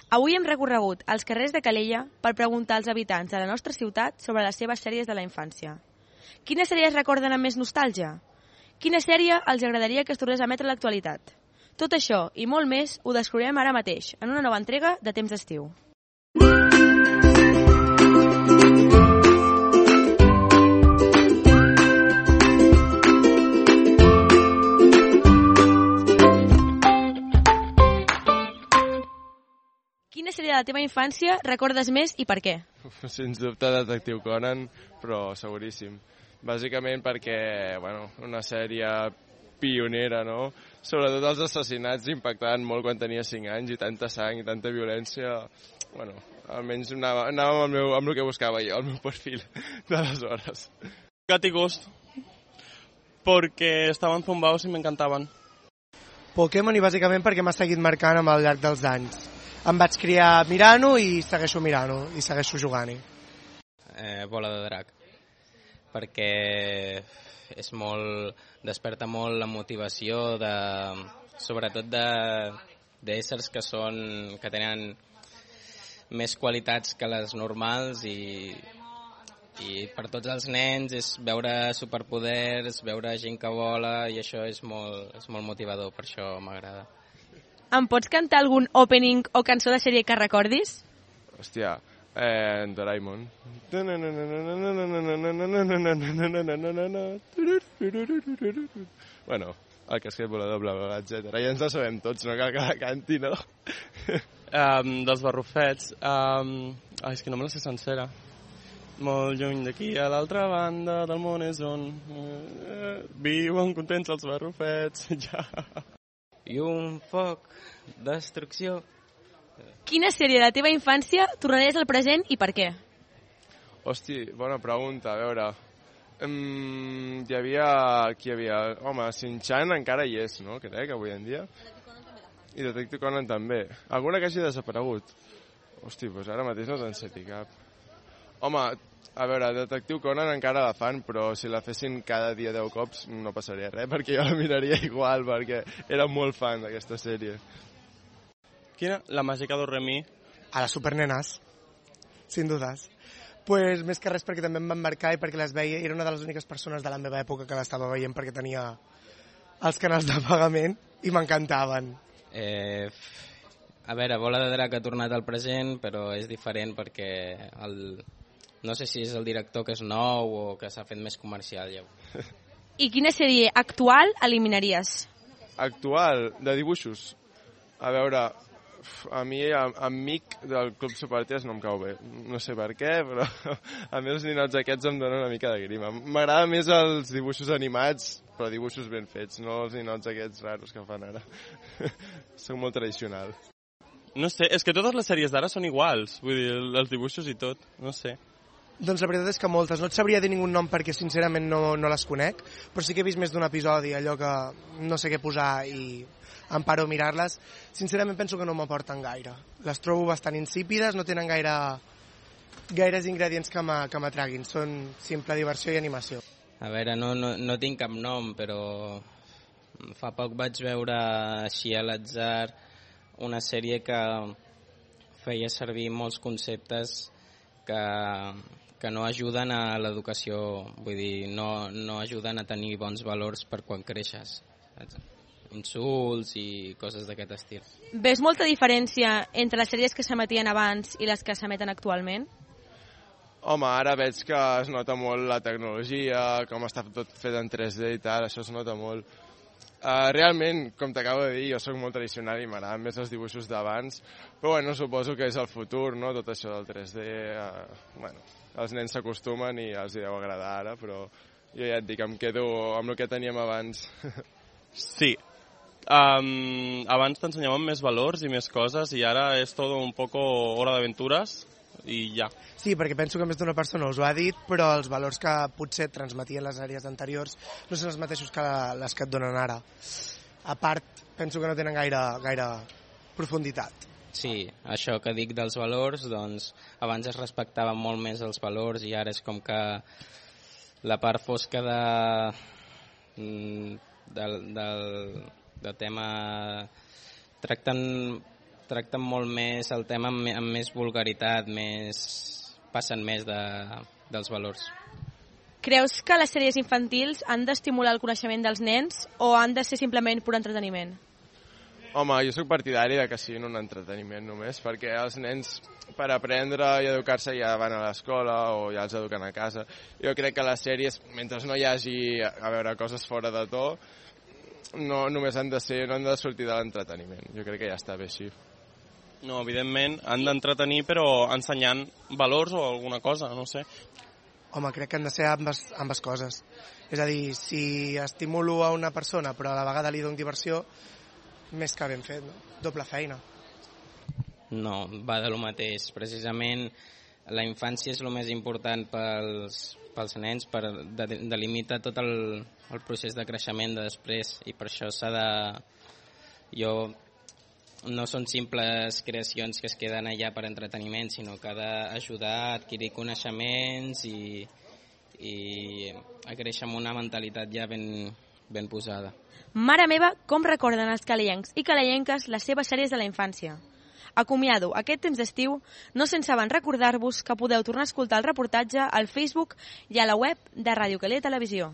Avui hem recorregut els carrers de Calella per preguntar als habitants de la nostra ciutat sobre les seves sèries de la infància. Quines sèries recorden amb més nostàlgia? Quina sèrie els agradaria que es tornés a emetre a l'actualitat? Tot això i molt més ho descobrirem ara mateix, en una nova entrega de Temps d'Estiu. Quina sèrie de la teva infància recordes més i per què? Sens dubte Detectiu Conan, però seguríssim. Bàsicament perquè, una sèrie pionera, no? Sobretot els assassinats impactaven molt quan tenia 5 anys i tanta sang i tanta violència. Almenys anàvem amb el que buscava jo, el meu perfil d'aleshores. Gat y Ghost, porque estaban zumbados y me encantaban. Pokémon i bàsicament perquè m'ha seguit marcant al llarg dels anys. Em vaig criar mirant-ho i segueixo mirant-ho i segueixo jugant-hi. Bola de drac, perquè és desperta molt la motivació sobretot d'éssers que tenen més qualitats que les normals i per tots els nens és veure superpoders, veure gent que vola i això és molt motivador, per això m'agrada. Em pots cantar algun opening o cançó de sèrie que recordis? Hòstia, Doraemon. El casquet volador, bla, bla, bla, etc. Ja ens la sabem tots, no cal que la canti, no? Dels barrufets. És que no me la sé sencera. Molt lluny d'aquí, a l'altra banda del món és on viuen contents els barrufets. Ja. I un foc, destrucció. Quina sèrie de la teva infància tornaries al present i per què? Hosti, bona pregunta, a veure. Qui hi havia? Home, Shin-Chan encara hi és, no? Crec, avui en dia. I Detective Conan també. Alguna que hagi desaparegut? Hosti, doncs ara mateix no te'n sé cap. Home, a veure, Detective Conan encara la fan, però si la fessin cada dia 10 cops no passaria res, perquè jo la miraria igual, perquè era molt fan d'aquesta sèrie. Quina? La màgica d'Oremi. A les supernenes, sin dudes. Pues més que res perquè també em van marcar i perquè les veia, era una de les úniques persones de la meva època que l'estava veient perquè tenia els canals de pagament i m'encantaven. A veure, Bola de Drac ha tornat al present, però és diferent perquè no sé si és el director que és nou o que s'ha fet més comercial ja. I quina sèrie actual eliminaries? Actual, de dibuixos? A veure, a mi Amic del Club Superties no em cau bé. No sé per què, però a mi els ninots aquests em donen una mica de grima. M'agrada més els dibuixos animats, però dibuixos ben fets, no els ninots aquests raros que fan ara. Soc molt tradicional. No sé, és que totes les sèries d'ara són iguals, vull dir, els dibuixos i tot, no sé. Doncs la veritat és que moltes. No et sabria dir ningun nom perquè sincerament no les conec, però sí que he vist més d'un episodi, allò que no sé què posar i em paro a mirar-les. Sincerament penso que no m'aporten gaire. Les trobo bastant insípides, no tenen gaires ingredients que m'atraguin. Són simple diversió i animació. A veure, no tinc cap nom, però fa poc vaig veure així a l'atzar una sèrie que feia servir molts conceptes que no ajuden a l'educació, vull dir, no ajuden a tenir bons valors per quan creixes, insults i coses d'aquest estil. Ves molta diferència entre les sèries que s'emetien abans i les que s'emeten actualment? Home, ara veig que es nota molt la tecnologia, com està tot fet en 3D i tal, això es nota molt. Realment, com t'acabo de dir, jo sóc molt tradicional i m'agraden més els dibuixos d'abans, però suposo que és el futur, no?, tot això del 3D. Els nens s'acostumen i els deu agradar ara, però jo ja et dic, em quedo amb el que teníem abans. Sí. Abans t'ensenyaven més valors i més coses i ara és tot un poco hora d'aventuras i ja. Sí, perquè penso que més d'una persona us ho ha dit, però els valors que potser transmetien les sèries anteriors no són els mateixos que les que et donen ara. A part, penso que no tenen gaire profunditat. Sí, això que dic dels valors, doncs abans es respectaven molt més els valors i ara és com que la part fosca del tema tracten tracten molt més el tema amb més vulgaritat, passen més dels valors. Creus que les sèries infantils han d'estimular el coneixement dels nens o han de ser simplement pur entreteniment? Home, jo sóc partidari de que siguin un entreteniment només, perquè els nens per aprendre i educar-se ja van a l'escola o ja els eduquen a casa. Jo crec que les sèries, mentre no hi hagi a veure coses fora de to, no només han de sortir de l'entreteniment. Jo crec que ja està bé així. No, evidentment, han d'entretenir, però ensenyant valors o alguna cosa, no sé. Home, crec que han de ser ambes coses. És a dir, si estimulo a una persona però a la vegada li dono diversió, més que ben fet, no? Doble feina. No, va de lo mateix. Precisament la infància és el més important pels nens, per delimitar tot el procés de creixement de després, i per això no són simples creacions que es queden allà per entreteniment, sinó que ha d'ajudar a adquirir coneixements i a créixer amb una mentalitat ja ben posada. Mare meva, com recorden els calellencs i calellenques les seves sèries de la infància. Acomiado aquest temps d'estiu, no sense abans recordar-vos que podeu tornar a escoltar el reportatge al Facebook i a la web de Ràdio Calella Televisió.